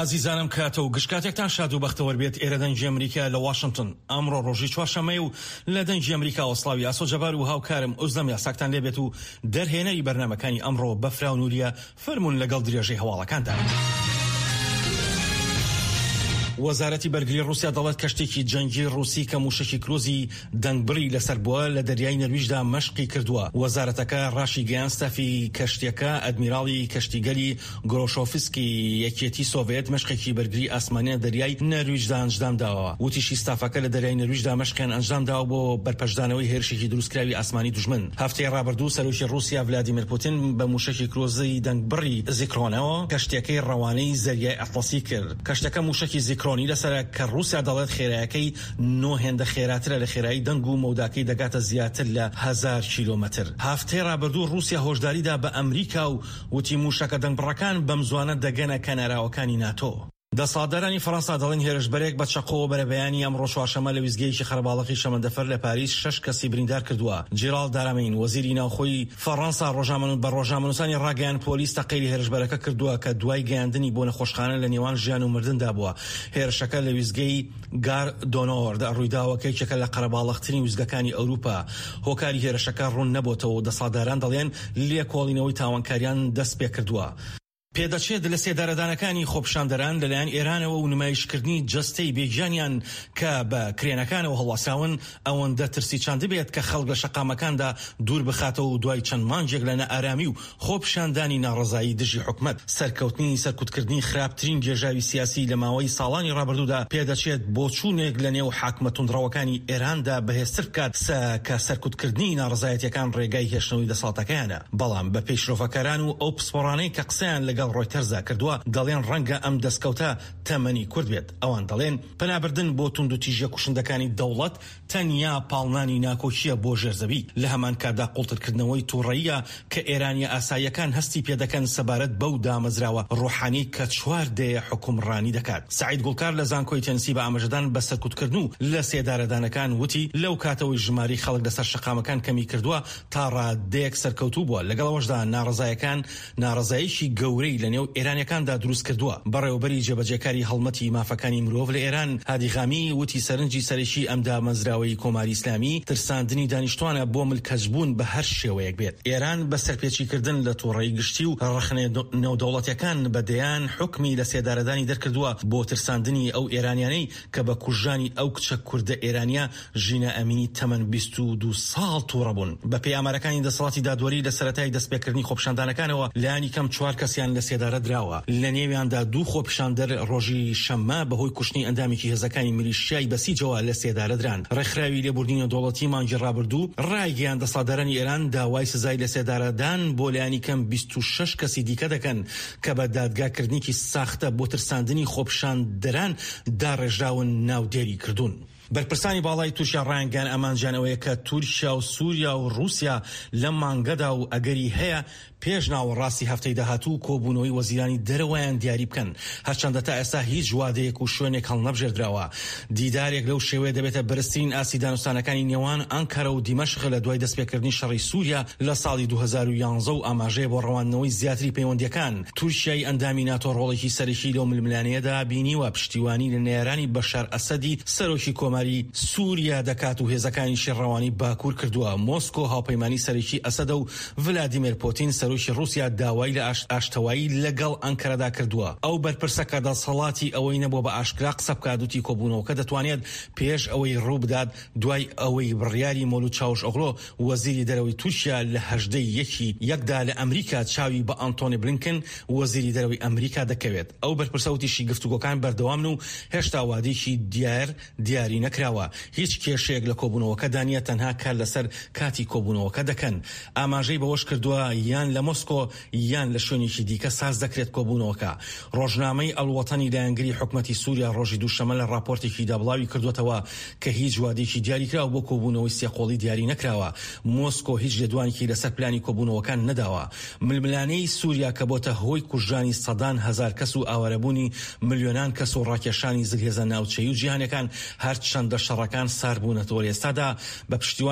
ئازیزانم کاتە و گشت کاتێکتان شاد و بەختەوەر بێت. ئێرە دەنگی ئەمریکا لە واشنتن. ئەمڕۆ ڕۆژی چوارشەممەیە و لە دەنگی ئەمریکاوە سڵاوی ئاسۆ جەبار و هاوکارم ئوزلەم یاساکتان لێبێت و دەرهێنەری بەرنامەکانی ئەمڕۆ بەفراو نوریە فەرموون لەگەڵ درێژەی هەواڵەکاندا. وەزارەتی بەرگری ڕووسیا دەڵێت کەشتێکی جەنگی ڕووسی کە مووشەکی کروزی دەنگبڕی لەسەر بووە لە دەریای نەرویجدا مەشقی کردووە. وەزارەتەکە ڕاشیگەیاند ستافی کەشتیەکە ئەدمیراڵی کەشتیگەلی گرۆشۆفسکی یەکێتی سۆڤێت مەشقێکی بەرگری ئاسمانی لە دەریای نەرویجدا ئەنجدام داوە. وتیشی ستافەکە لە دەریای نەرویجدا مەشقیان ئەنجدام داوە بۆ بەرپەرچدانەوەی هێرشێکی دروستکراوی ئاسمانی دوژمن. هەفتەی ڕابردوو سەرۆکی ڕووسیا ڤلادیمێر پوتین بە مووشەکی کرۆزی دەنگبڕی زیکرۆنەوە کەشتیەکەی ڕەوانەی زەریای ئەتڵەسی کرد. کەشتەکە مووشەکی زیکرۆنی لەسەرە کە ڕووسیا دەڵێت خێرایەکەی نۆ هێندە خێراترە لە خێرایی دەنگ و مەوداکەی دەگاتە زیاتر لە هەزار کیلۆمەتر. هەفتەی ڕابردوو ڕووسیا هۆشداری دا بە ئەمریکا و وتی مووشەکە دەنگبڕەکان بەمزوانە دەگەنە کەناراوەکانی ناتۆ. دەسەڵاتدارانی فەرەنسا دەڵێن هێرشبەرێک بە چەقۆوە بەرەبەیانی ئەمڕۆ چوارشەممە لە ویستگەیەکی قەرەباڵغی شەمەندەفەر لە پاریس شەش کەسی بریندار کردووە. جیراڵد دارامین، وەزیری ناوخۆی فەڕەنسا بە ڕۆژنامەنووسانی ڕاگەیاند پۆلیس تەقەی لە هێرشبەرەکە کردووە کە دوای گەیاندنی بۆ نەخۆشخانە لە نێوان ژیان و مردندا بووە. هێرشەکە لە ویستگەی گار دۆنۆرد ڕوویداوە کە یەکێکە لە قەرەباڵغترین ویستگەکانی ئەوروپا. هۆکاری هێرشەکە ڕوون نەبۆتەوە و دەسەڵاتداران دەڵێن لێکۆڵینەوەی تاوانکاریان دەستپێکردووە. پێدەچێت لەسێدارەدانەکانی خۆپیشاندەران لەلایەن ئێرانەوە و نمایشکردنی جەستەی بێگیانیان کە بە کرێنەکانەوە هەڵواسراون ئەوەندە ترسی چاندبێت کە خەڵک لە شەقامەکاندا دوور بخاتەوە و دوای چەند مانگێک لە نائارامی و خۆپیشاندانی ناڕەزایی دژی حکومەت سەرکەوتنی سەرکوتکردنی خراپترین گێژاوی سیاسی لە ماوەی ساڵانی ڕابردوودا پێدەچێت بۆچوونێک لە نێو حاکمە توندڕەوەکانی ئێراندا بەهێزتر بکات کە سەرکوتکردنی ناڕەزایەتیەکان ڕێگای هێشتنەوەی دەسەڵاتەکەیانە. بەڵام بەپێی شرۆڤەکاران و ئەو پسپۆڕانەی کە قسەیان لەگەڵ ڕۆیتەرزدا کردووە دەڵێن ڕەنگە ئەم دەستکەوتە تەمەنی کورت بێت. ئەوان دەڵێن پەنابردن بۆ توندوتیژیە کوشندەکانی دەوڵەت تەنیا پاڵنانی ناکۆکییە بۆ ژێر زەوی، لە هەمان کاتدا قوڵترکردنەوەی توڕەییە کە ئێرانییە ئاساییەکان هەستی پێدەکەن سەبارەت بەو دامەزراوە ڕۆحانیەی کە چوار دەیە حوکمڕانی دەکات. سەعید گوڵکار لە زانکۆی تێنسی بە ئاماژەدان بە سەرکوتکردن و لەسێدارەدانەکان وتی، لەو کاتەوەی ژمارەی خەڵک لەسەر شەقامەکان کەمیکردووە، تا ڕادەیەک سەرکەوتوو بووە، لەگەڵ ئەوەشدا ناڕەزایەکان ناڕەزاییەکی گەورەی لە نێو ئێرانیەکاندا دروست کردووە. بەڕێوەبەری جێبەجێکاری هەڵمەتی مافەکانی مرۆڤ لە ئێران، هادی غامی، وتی سەرنجی سەرەکی ئەم دامەزراوەی کۆماری ئیسلامی ترساندنی دانیشتوانە بۆ ملکەچبوون بە هەر شێوەیەک بێت. ئێران بە سەرپێچیکردن لە توڕەیی گشتی و ڕەخنە نێودەوڵەتیەکان بە دەیان حوکمی لەسێدارەدانی دەرکردووە بۆ ترساندنی ئەو ئێرانیانەی کە بە کوژرانی ئەو کچە کوردە ئێرانیە ژینا ئەمینی تەمەن 22 ساڵ توڕە بوون. بەپێی ئامارەکانی دەسەڵاتی دادوەری لە سەرەتای دەستپێکردنی خۆپیشاندانەکانەوە لایەنی کەم چوار کەسیان لە سێدارە دراوە، لە نێویاندا دوو خۆپیشاندەر ڕۆژی شەممە بەهۆی کوشتنی ئەندامێکی هێزەکانی میلیشیای بەسیجەوە لە سێدارە دران. ڕێکخراوی لێبوردنی نێودەوڵەتی مانگی ڕابردوو ڕایگەیاند دەسەڵاتدارانی ئێران داوای سزای لەسێدارەدان بۆ لایەنی کەم 26 کەسی دیکە دەکەن کە بە دادگاکردنێکی ساختە بۆ ترساندنی خۆپیشاندەران داڕێژراون ناودێری کردوون. بەرپرسانی باڵای تورکیا ڕایانگەیاند ئامانجیان ئەوەیە کە تورکیا و سوریا و ڕووسیا لەم مانگەدا و ئەگەری هەیە پێش ناوەڕاستی هەفتەی داهاتوو کۆبوونەوەی وەزیرانی دەرەوەیان دیاری بکەن، هەرچەندە تا ئێستا هیچ وادەیەک و شوێنێک هەڵنەبژێردراوە. دیدارێک لەو شێوەیە دەبێتە بەرزترین ئاستی دانوستانەکانی نێوان ئەنکەرە و دیمەشق لە دوای دەستپێکردنی شەڕی سوریا لە ساڵی 2011 و ئاماژەیە بۆ ڕەواندنەوەی زیاتری پەیوەندییەکان. تورکیای ئەندامی ناتۆ ڕۆڵێکی سەرەکی لەو ململانێیەدا بینیوە، پشتیوانی لە نەیارانی بەشار ئەسەدی سەرۆکی کۆماری سوریا دەکات و هێزەکانیشی ڕەوانەی باکور کردووە. مۆسکۆ هاوپەیمانی سەرەکی ئەسەدە و ڤلادیمێر پۆتین سەرۆکی ڕووسیا داوای لە ئاشتەوایی لەگەڵ ئەنکەرەدا کردووە. ئەو بەرپرسە کە دەسەڵاتی ئەوەی نەبووە بە ئاشکرا قسە بکات وتی کۆبوونەوەکە دەتوانێت پێش ئەوەی ڕووبدات دوای ئەوەی بڕیاری مۆلود چاوشئۆغلۆ وەزیری دەرەوەی تورکیا لە 18 ی یەکی یەکدا لە ئەمریکا چاوی بە ئانتۆنی بلینکن وەزیری دەرەوەی ئەمریکا دەکەوێت. ئەو بەرپرسە وتیشی گفتوگۆکان بەردەوامن و هێشتا وادەیەکی دیار دیاری نەکراوە، هیچ کێشەیەک لە کۆبوونەوەکەدا نییە تەنها کار لەسەر کاتی کۆبوونەوەکە دەکەن. ئاماژەی بەوەشکردووە، یان لە مۆسکۆ یان لە شوێنێکی دیکە ساز دەکرێت کۆبوونەوەکە. ڕۆژنامەی ئەلوەتەنی لایەنگری حکومەتی سوریا ڕۆژی دووشەممە لە ڕاپۆرتێکیدا بڵاویکردووەتەوە کە هیچ وادەیەکی دیاریکراو بۆ کۆبوونەوەی سێقۆڵی دیاری نەکراوە، مۆسکۆ هیچ لێدوانێکی لەسەر پلانی کۆبوونەوەکان نەداوە. ململانێی سوریا کە بۆتە هۆی کوژرانی سەدان هەزار کەس و ئاوارەبوونی ملیۆنان کەس و ڕاکێشانی زلهێزە ناوچەیی و جیهانیەکان، هەرچەندە شەڕەکان سارد بوونەتەوە لە ئێستادا بە پشتیوانی.